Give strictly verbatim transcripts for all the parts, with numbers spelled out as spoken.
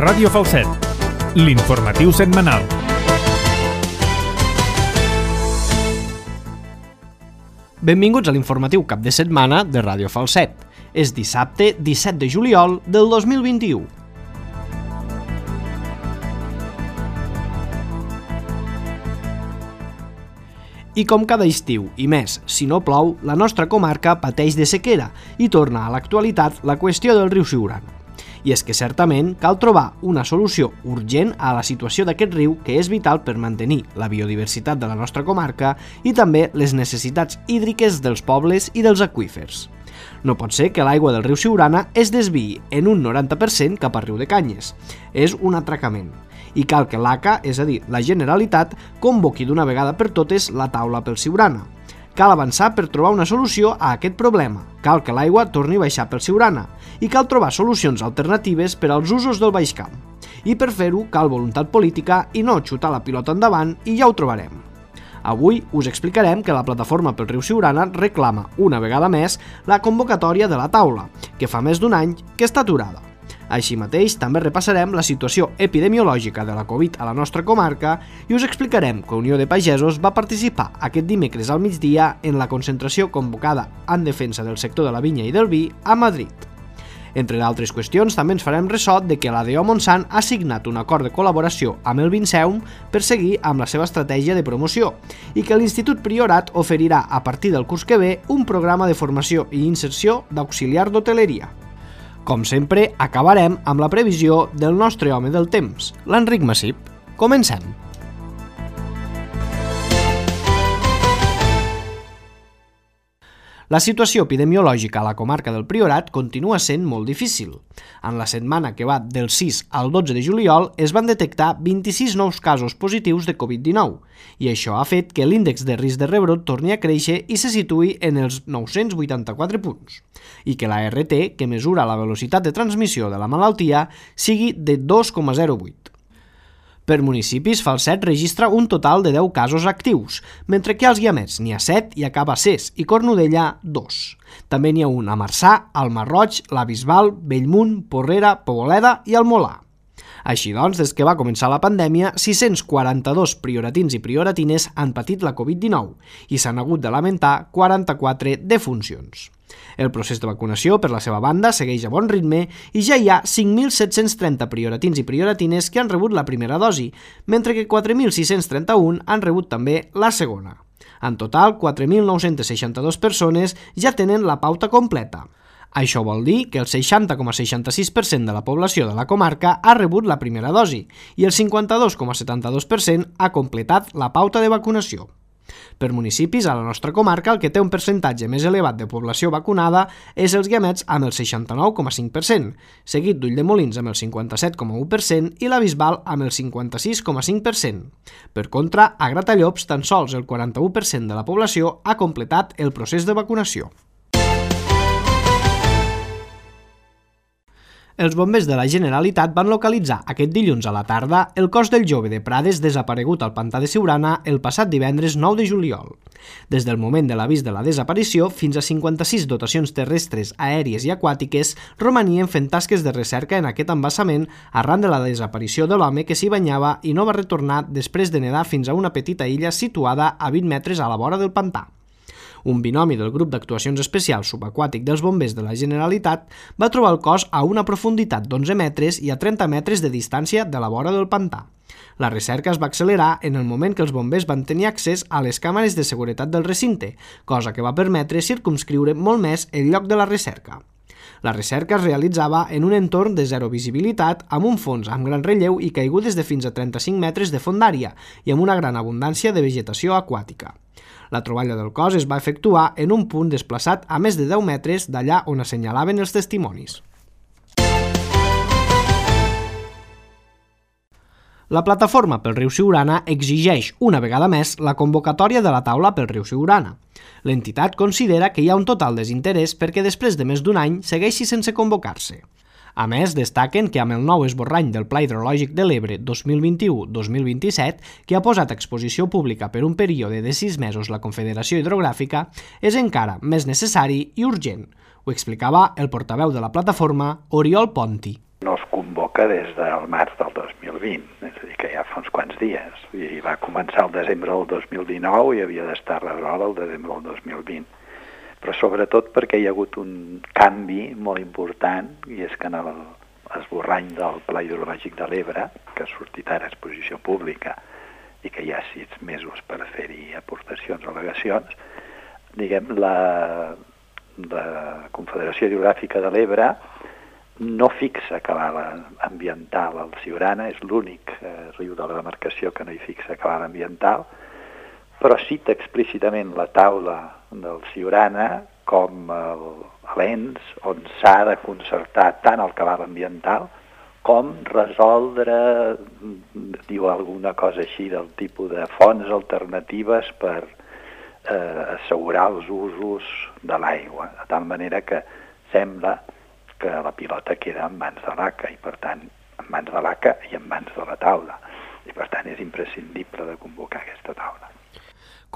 Ràdio Falset, l'informatiu setmanal. Benvinguts a l'informatiu cap de setmana de Ràdio Falset. És dissabte disset de juliol del dos mil vint-i-u. I com cada estiu, i més, si no plou, la nostra comarca pateix de sequera i torna a l'actualitat la qüestió del riu Siurana. I és que certament cal trobar una solució urgent a la situació d'aquest riu que és vital per mantenir la biodiversitat de la nostra comarca i també les necessitats hídriques dels pobles i dels aqüífers. No pot ser que l'aigua del riu Siurana es desviï en un noranta per cent cap a Riu de Canyes. És un atracament. I cal que l'A C A, és a dir, la Generalitat, convoqui d'una vegada per totes la taula pel Siurana. Cal avançar per trobar una solució a aquest problema. Cal que l'aigua torni a baixar pel Siurana. I cal trobar solucions alternatives per als usos del Baix Camp. I per fer-ho cal voluntat política i no xutar la pilota endavant i ja ho trobarem. Avui us explicarem que la plataforma pel riu Siurana reclama una vegada més la convocatòria de la taula, que fa més d'un any que està aturada. Així mateix, també repassarem la situació epidemiològica de la Covid a la nostra comarca i us explicarem que Unió de Pagesos va participar aquest dimecres al migdia en la concentració convocada en defensa del sector de la vinya i del vi a Madrid. Entre d'altres qüestions, també ens farem ressò de que la D O Montsant ha signat un acord de col·laboració amb el Vinceum per seguir amb la seva estratègia de promoció i que l'Institut Priorat oferirà a partir del curs que ve un programa de formació i inserció d'auxiliar d'hoteleria. Com sempre, acabarem amb la previsió del nostre home del temps, l'Enric Massip. Comencem! La situació epidemiològica a la comarca del Priorat continua sent molt difícil. En la setmana que va del sis al dotze de juliol es van detectar vint-i-sis nous casos positius de Covid dinou i això ha fet que l'índex de risc de rebrot torni a créixer i se situï en els nou-cents vuitanta-quatre punts i que la R T, que mesura la velocitat de transmissió de la malaltia, sigui de dos coma zero vuit. Per municipis, Falset registra un total de deu casos actius, mentre que als Guiamets n'hi ha set i a Cabassers i Cornudella dos. També n'hi ha un a Marçà, al Masroig, la Bisbal, Bellmunt, Porrera, Poboleda i el Molar. Així doncs, des que va començar la pandèmia, sis-cents quaranta-dos prioratins i prioratines han patit la Covid dinou i s'han hagut de lamentar quaranta-quatre defuncions. El procés de vacunació, per la seva banda, segueix a bon ritme i ja hi ha cinc mil set-cents trenta prioratins i prioratines que han rebut la primera dosi, mentre que quatre mil sis-cents trenta-un han rebut també la segona. En total, quatre mil nou-cents seixanta-dos persones ja tenen la pauta completa. Això vol dir que el seixanta coma seixanta-sis per cent de la població de la comarca ha rebut la primera dosi i el cinquanta-dos coma setanta-dos per cent ha completat la pauta de vacunació. Per municipis, a la nostra comarca, el que té un percentatge més elevat de població vacunada és els Guiamets amb el seixanta-nou coma cinc per cent, seguit d'Ulldemolins amb el cinquanta-set coma u per cent i la Bisbal amb el cinquanta-sis coma cinc per cent. Per contra, a Gratallops, tan sols el quaranta-u per cent de la població ha completat el procés de vacunació. Els bombers de la Generalitat van localitzar aquest dilluns a la tarda el cos del jove de Prades desaparegut al pantà de Siurana el passat divendres nou de juliol. Des del moment de l'avís de la desaparició fins a cinquanta-sis dotacions terrestres, aèries i aquàtiques romanien fent tasques de recerca en aquest embassament arran de la desaparició de l'home que s'hi banyava i no va retornar després de nedar fins a una petita illa situada a vint metres a la vora del pantà. Un binomi del grup d'actuacions especials subaquàtic dels bombers de la Generalitat va trobar el cos a una profunditat d'onze metres i a trenta metres de distància de la vora del pantà. La recerca es va accelerar en el moment que els bombers van tenir accés a les càmeres de seguretat del recinte, cosa que va permetre circumscriure molt més el lloc de la recerca. La recerca es realitzava en un entorn de zero visibilitat amb un fons amb gran relleu i caigudes de fins a trenta-cinc metres de fondària i amb una gran abundància de vegetació aquàtica. La troballa del cos es va efectuar en un punt desplaçat a més de deu metres d'allà on assenyalaven els testimonis. La plataforma pel riu Siurana exigeix una vegada més la convocatòria de la taula pel riu Siurana. L'entitat considera que hi ha un total desinterès perquè després de més d'un any segueixi sense convocar-se. A més, destaquen que amb el nou esborrany del Pla Hidrològic de l'Ebre dos mil vint-i-u dos mil vint-i-set, que ha posat a exposició pública per un període de sis mesos la Confederació Hidrogràfica, és encara més necessari i urgent. Ho explicava el portaveu de la plataforma, Oriol Ponti. No es convoca des del març del dos mil vint, és a dir, que ja fa uns quants dies. I va començar el desembre del dos mil dinou i havia d'estar resolt el desembre del dos mil vint. Però sobretot perquè hi ha hagut un canvi molt important, i és que en l'esborrany del Pla Hidrològic de l'Ebre, que ha sortit ara a exposició pública i que hi ha sis mesos per fer-hi aportacions o al·legacions, diguem, la, la Confederació Hidrogràfica de l'Ebre no fixa cabal ambiental al Siurana, és l'únic eh, riu de la demarcació que no hi fixa cabal ambiental, però cita explícitament la taula del Siurana com l'ens on s'ha de concertar tant el cabal ambiental com resoldre, diu alguna cosa així, del tipus de fonts alternatives per eh, assegurar els usos de l'aigua, de tal manera que sembla que la pilota queda en mans de l'A C A i, per tant, en mans de l'A C A i en mans de la taula. I, per tant, és imprescindible de convocar aquesta taula.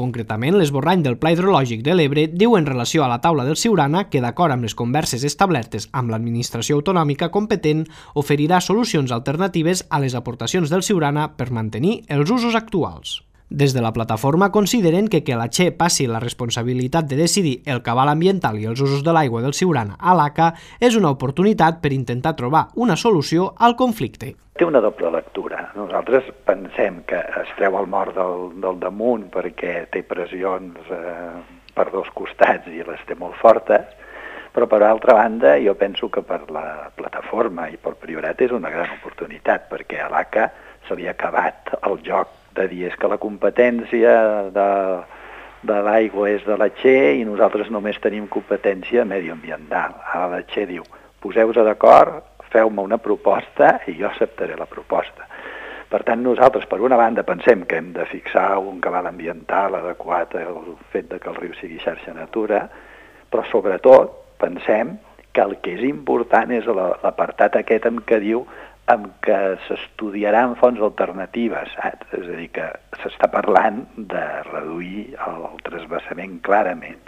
Concretament, l'esborrany del Pla Hidrològic de l'Ebre diu en relació a la taula del Siurana que, d'acord amb les converses establertes amb l'administració autonòmica competent, oferirà solucions alternatives a les aportacions del Siurana per mantenir els usos actuals. Des de la plataforma consideren que que la Che passi la responsabilitat de decidir el cabal ambiental i els usos de l'aigua del Siurana a l'A C A és una oportunitat per intentar trobar una solució al conflicte. Té una doble lectura. Nosaltres pensem que es treu el mort del, del damunt perquè té pressions eh, per dos costats i les té molt fortes, però per altra banda jo penso que per la plataforma i pel Priorat és una gran oportunitat, perquè a l'A C A se li ha acabat el joc de dir és que la competència de, de l'aigua és de la Che i nosaltres només tenim competència medioambiental. Ara la Che diu, poseu-vos d'acord, feu-me una proposta i jo acceptaré la proposta. Per tant, nosaltres, per una banda, pensem que hem de fixar un cabal ambiental adequat al fet de que el riu sigui xarxa natura, però sobretot pensem que el que és important és l'apartat aquest en què diu en què s'estudiaran fonts alternatives, saps? És a dir, que s'està parlant de reduir el transvasament clarament.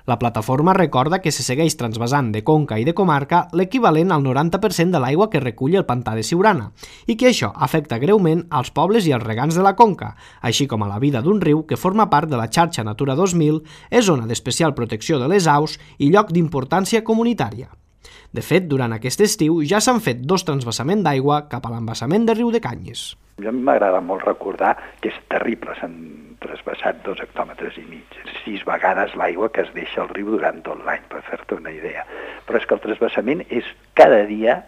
La plataforma recorda que se segueix transvasant de conca i de comarca l'equivalent al noranta per cent de l'aigua que recull el pantà de Siurana i que això afecta greument als pobles i als regants de la conca, així com a la vida d'un riu que forma part de la xarxa Natura dos mil, és zona d'especial protecció de les aus i lloc d'importància comunitària. De fet, durant aquest estiu ja s'han fet dos transvasaments d'aigua cap a l'embassament de Riu de Canyes. A mi m'agrada molt recordar que és terrible, s'han transvasat dos hectòmetres i mig, sis vegades l'aigua que es deixa al riu durant tot l'any, per fer-te una idea. Però és que el transvasament és cada dia,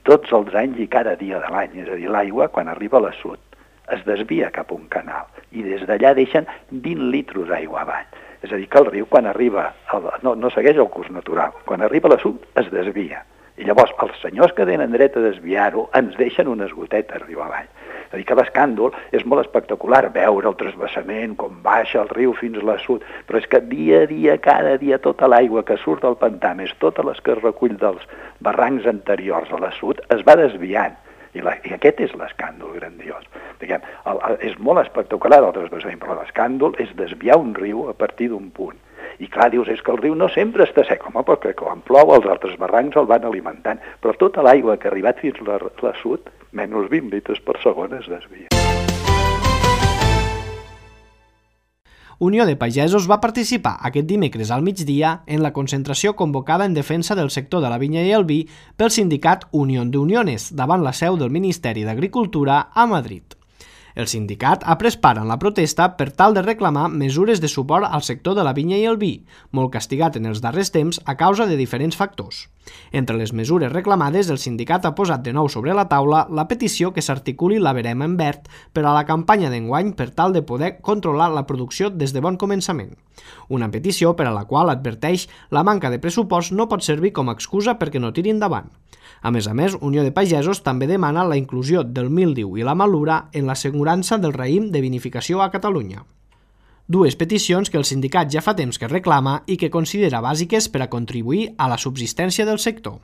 tots els anys i cada dia de l'any, és a dir, l'aigua quan arriba a l'assut es desvia cap a un canal i des d'allà deixen vint litres d'aigua avall. És a dir, que el riu, quan arriba, el, no, no segueix el curs natural, quan arriba a l'assut es desvia. I llavors els senyors que tenen dret a desviar-ho ens deixen unes gotetes riu avall. És a dir, que l'escàndol és molt espectacular veure el transvasament, com baixa el riu fins a l'assut, però és que dia a dia, cada dia, tota l'aigua que surt del pantà, més totes les que es recull dels barrancs anteriors a l'assut, es va desviant. I, la, i aquest és l'escàndol grandiós. Diguem, el, el, és molt espectacular el transvasament, però l'escàndol és desviar un riu a partir d'un punt. I clar, dius, és que el riu no sempre està sec, home, perquè quan plou els altres barrancs el van alimentant, però tota l'aigua que ha arribat fins a l'assut, menys vint litres per segon es desvia. Unió de Pagesos va participar aquest dimecres al migdia en la concentració convocada en defensa del sector de la vinya i el vi pel sindicat Unión de Uniones davant la seu del Ministeri d'Agricultura a Madrid. El sindicat ha pres part en la protesta per tal de reclamar mesures de suport al sector de la vinya i el vi, molt castigat en els darrers temps a causa de diferents factors. Entre les mesures reclamades, el sindicat ha posat de nou sobre la taula la petició que s'articuli la verema en verd per a la campanya d'enguany per tal de poder controlar la producció des de bon començament. Una petició per a la qual adverteix la manca de pressupost no pot servir com a excusa perquè no tiri endavant. A més a més, Unió de Pagesos també demana la inclusió del míldiu i la malura en l'assegurança del raïm de vinificació a Catalunya. Dues peticions que el sindicat ja fa temps que reclama i que considera bàsiques per a contribuir a la subsistència del sector.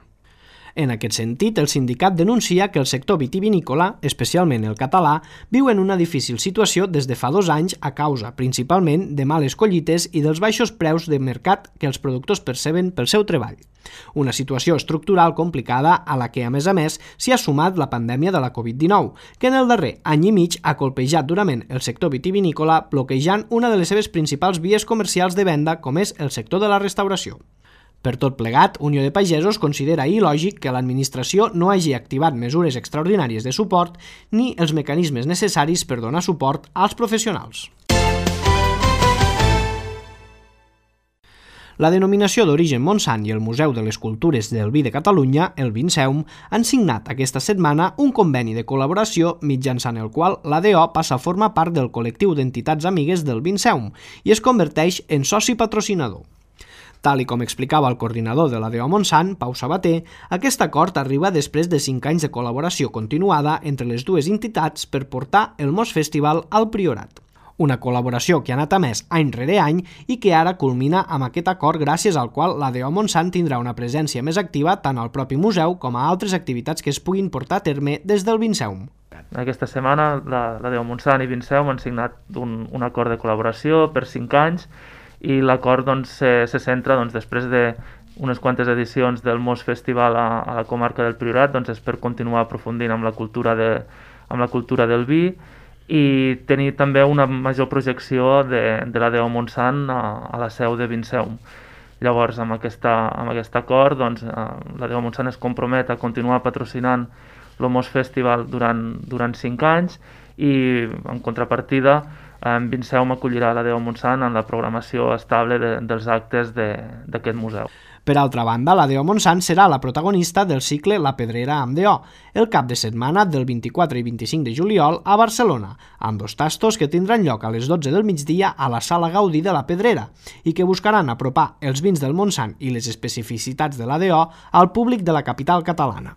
En aquest sentit, el sindicat denuncia que el sector vitivinícola, especialment el català, viu en una difícil situació des de fa dos anys a causa, principalment, de males collites i dels baixos preus de mercat que els productors perceben pel seu treball. Una situació estructural complicada a la que, a més a més, s'hi ha sumat la pandèmia de la covid dinou, que en el darrer any i mig ha colpejat durament el sector vitivinícola, bloquejant una de les seves principals vies comercials de venda, com és el sector de la restauració. Per tot plegat, Unió de Pagesos considera il·lògic que l'administració no hagi activat mesures extraordinàries de suport ni els mecanismes necessaris per donar suport als professionals. La denominació d'origen Montsant i el Museu de les Cultures del Vi de Catalunya, el Vinseum, han signat aquesta setmana un conveni de col·laboració mitjançant el qual l'A D O passa a formar part del col·lectiu d'entitats amigues del Vinseum i es converteix en soci patrocinador. Tal i com explicava el coordinador de l'A D O Montsant, Pau Sabater, aquest acord arriba després de cinc anys de col·laboració continuada entre les dues entitats per portar el Mos Festival al Priorat. Una col·laboració que ha anat a més any rere any i que ara culmina amb aquest acord gràcies al qual l'A D O Montsant tindrà una presència més activa tant al propi museu com a altres activitats que es puguin portar a terme des del Vinseum. Aquesta setmana l'A D O Montsant i Vinseum han signat un, un acord de col·laboració per cinc anys i l'acord doncs, se, se centra doncs, després d'unes quantes edicions del Mos Festival a, a la comarca del Priorat, doncs, és per continuar aprofundint amb la cultura, de, amb la cultura del vi i tenir també una major projecció de, de l'A D O Montsant a, a la seu de Vinseum. Llavors, amb, aquesta, amb aquest acord, doncs, l'A D O Montsant es compromet a continuar patrocinant el Mos Festival durant, durant cinc anys i, en contrapartida, en Vinseum acollirà l'A D O Montsant en la programació estable de, dels actes d'aquest museu. Per altra banda, l'A D O Montsant serà la protagonista del cicle La Pedrera amb D O, el cap de setmana del vint-i-quatre i vint-i-cinc de juliol a Barcelona, amb dos tastos que tindran lloc a les dotze del migdia a la Sala Gaudí de la Pedrera i que buscaran apropar els vins del Montsant i les especificitats de l'A D O al públic de la capital catalana.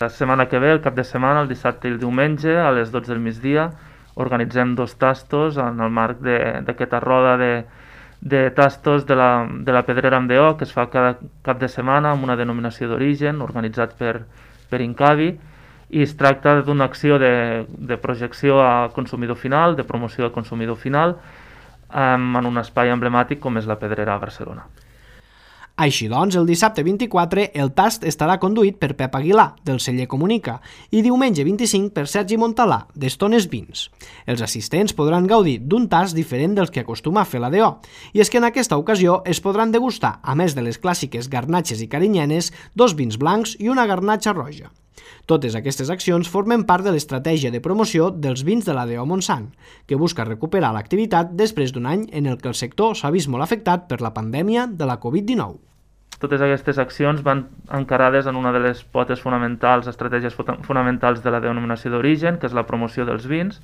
La setmana que ve, el cap de setmana, el dissabte i el diumenge, a les dotze del migdia, organitzem dos tastos en el marc d'aquesta roda de, de tastos de la, de la Pedrera amb D O que es fa cada cap de setmana amb una denominació d'origen organitzat per, per Incavi i es tracta d'una acció de, de projecció a consumidor final, de promoció al consumidor final um, en un espai emblemàtic com és la Pedrera a Barcelona. Així doncs, el dissabte vint-i-quatre el tast estarà conduït per Pep Aguilar, del celler Comunica, i diumenge vint-i-cinc per Sergi Montalà, d'Estones Vins. Els assistents podran gaudir d'un tast diferent dels que acostuma a fer l'A D O, i és que en aquesta ocasió es podran degustar, a més de les clàssiques garnatxes i carinyenes, dos vins blancs i una garnatxa roja. Totes aquestes accions formen part de l'estratègia de promoció dels vins de l'A D O Montsant, que busca recuperar l'activitat després d'un any en el que el sector s'ha vist molt afectat per la pandèmia de la covid dinou. Totes aquestes accions van encarades en una de les potes fonamentals, estratègies fonamentals de la denominació d'origen, que és la promoció dels vins,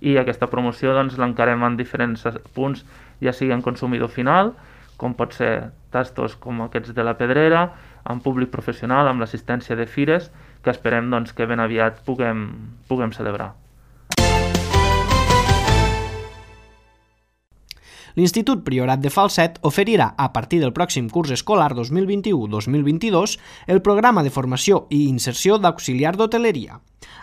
i aquesta promoció doncs, l'encarem en diferents punts, ja sigui en consumidor final, com pot ser tastos com aquests de la Pedrera, en públic professional, amb l'assistència de fires, que esperem doncs, que ben aviat puguem, puguem celebrar. L'Institut Priorat de Falset oferirà a partir del pròxim curs escolar dos mil vint-i-u dos mil vint-i-dos el programa de formació i inserció d'auxiliar d'hoteleria.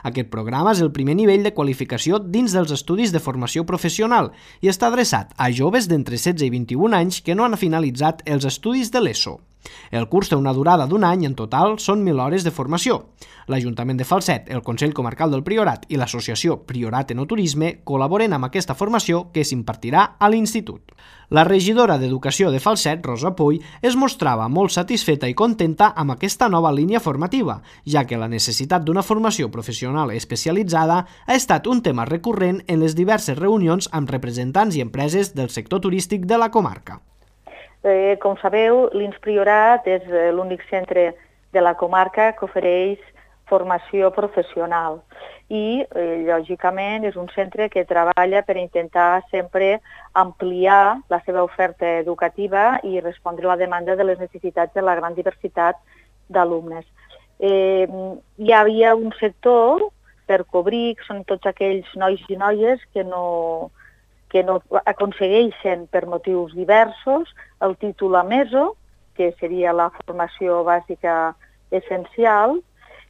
Aquest programa és el primer nivell de qualificació dins dels estudis de formació professional i està adreçat a joves d'entre setze i vint-i-un anys que no han finalitzat els estudis de l'ESO. El curs té una durada d'un any, en total són mil hores de formació. L'Ajuntament de Falset, el Consell Comarcal del Priorat i l'Associació Priorat Enoturisme col·laboren amb aquesta formació que s'impartirà a l'Institut. La regidora d'Educació de Falset, Rosa Puy, es mostrava molt satisfeta i contenta amb aquesta nova línia formativa, ja que la necessitat d'una formació professional especialitzada ha estat un tema recurrent en les diverses reunions amb representants i empreses del sector turístic de la comarca. Eh, com sabeu, l'I N S Priorat és l'únic centre de la comarca que ofereix formació professional i, eh, lògicament, és un centre que treballa per intentar sempre ampliar la seva oferta educativa i respondre a la demanda de les necessitats de la gran diversitat d'alumnes. Eh, hi havia un sector per cobrir, que són tots aquells nois i noies que no... que no aconsegueixen per motius diversos el títol a M E S O, que seria la formació bàsica essencial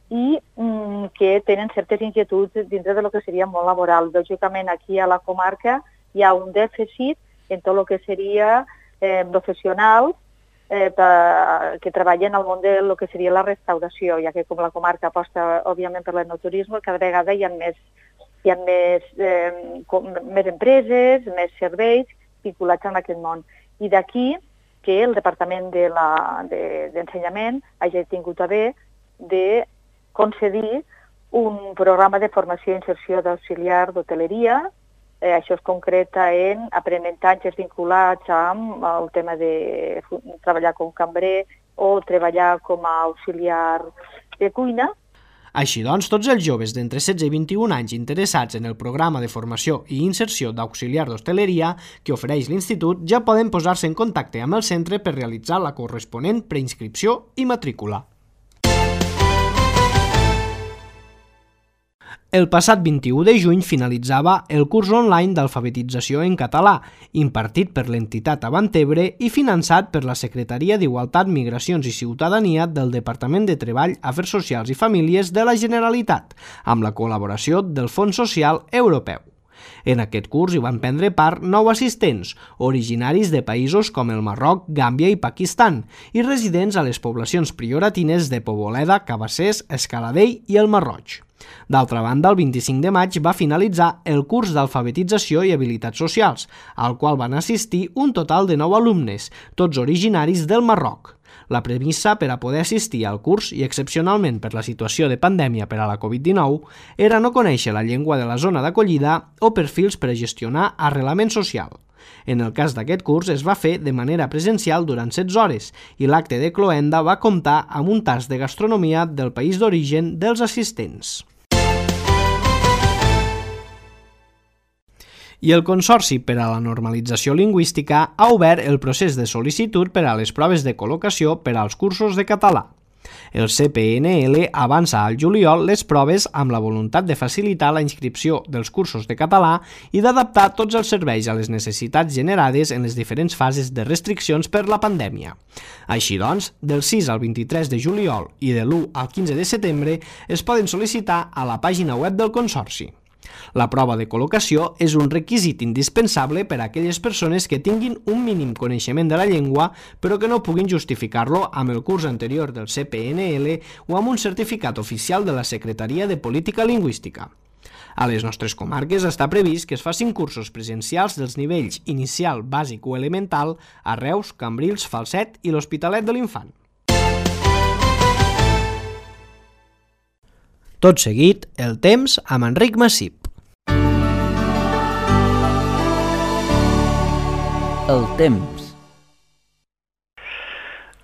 i mm, que tenen certes inquietuds dintre de lo que seria món laboral. Lògicament, aquí a la comarca hi ha un dèficit en tot el que seria eh, professionals eh, per, que treballen al món de lo que seria la restauració, ja que com la comarca aposta, òbviament, per l'enoturisme, cada vegada hi ha més, hi ha més, eh, com, més empreses, més serveis vinculats en aquest món. I d'aquí que el Departament de la, de, d'Ensenyament hagi tingut a bé de concedir un programa de formació i inserció d'auxiliar d'hoteleria. Eh, això es concreta en aprenentatges vinculats amb el tema de treballar com cambrer o treballar com a auxiliar de cuina. Així doncs, tots els joves d'entre setze i vint-i-un anys interessats en el programa de formació i inserció d'auxiliar d'hostaleria que ofereix l'Institut ja poden posar-se en contacte amb el centre per realitzar la corresponent preinscripció i matrícula. El passat vint-i-u de juny finalitzava el curs online d'alfabetització en català, impartit per l'entitat Avantebre i finançat per la Secretaria d'Igualtat, Migracions i Ciutadania del Departament de Treball, Afers Socials i Famílies de la Generalitat, amb la col·laboració del Fons Social Europeu. En aquest curs hi van prendre part nou assistents, originaris de països com el Marroc, Gàmbia i Pakistan, i residents a les poblacions prioratines de Poboleda, Cabassers, Escaladell i el Marroig. D'altra banda, el vint-i-cinc de maig va finalitzar el curs d'alfabetització i habilitats socials, al qual van assistir un total de nou alumnes, tots originaris del Marroc. La premissa per a poder assistir al curs i, excepcionalment per la situació de pandèmia per a la covid dinou, era no conèixer la llengua de la zona d'acollida o perfils per a gestionar arrelament social. En el cas d'aquest curs es va fer de manera presencial durant setze hores i l'acte de cloenda va comptar amb un tast de gastronomia del país d'origen dels assistents. I el Consorci per a la Normalització Lingüística ha obert el procés de sol·licitud per a les proves de col·locació per als cursos de català. El C P N L avança al juliol les proves amb la voluntat de facilitar la inscripció dels cursos de català i d'adaptar tots els serveis a les necessitats generades en les diferents fases de restriccions per la pandèmia. Així doncs, del sis al vint-i-tres de juliol i de l'u al quinze de setembre es poden sol·licitar a la pàgina web del Consorci. La prova de col·locació és un requisit indispensable per a aquelles persones que tinguin un mínim coneixement de la llengua però que no puguin justificar-lo amb el curs anterior del C P N L o amb un certificat oficial de la Secretaria de Política Lingüística. A les nostres comarques està previst que es facin cursos presencials dels nivells inicial, bàsic o elemental a Reus, Cambrils, Falset i l'Hospitalet de l'Infant. Tot seguit, el temps amb Enric Massip. El temps.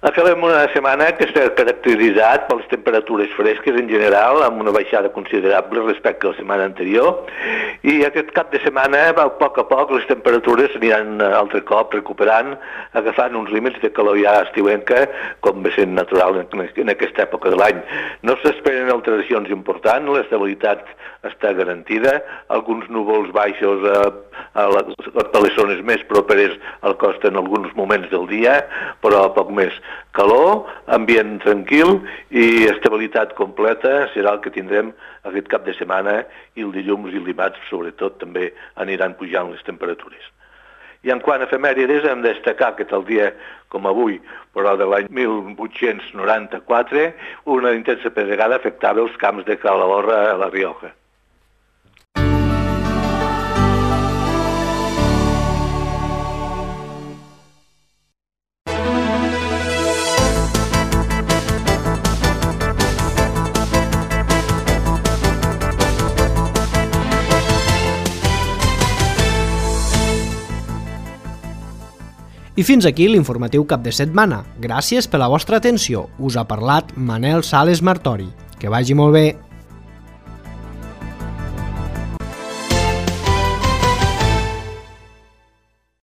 Acabem una setmana que està caracteritzat per les temperatures fresques en general, amb una baixada considerable respecte a la setmana anterior, i aquest cap de setmana, a poc a poc, les temperatures s'aniran altre cop recuperant, agafant uns límits de calor ja estiuenca, com ve sent natural en aquesta època de l'any. No s'esperen alteracions importants, l'estabilitat està garantida, alguns núvols baixos a, a, la, a les zones més properes al costa en alguns moments del dia, però poc més. Calor, ambient tranquil i estabilitat completa serà el que tindrem aquest cap de setmana, i el dilluns i el dimarts sobretot també aniran pujant les temperatures. I en quant a efemèrides hem de destacar que tal dia com avui, però de l'any mil vuit-cents noranta-quatre, una intensa pedregada afectava els camps de Calahorra a la Rioja. I fins aquí l'informatiu cap de setmana. Gràcies per la vostra atenció. Us ha parlat Manel Sales Martori. Que vagi molt bé.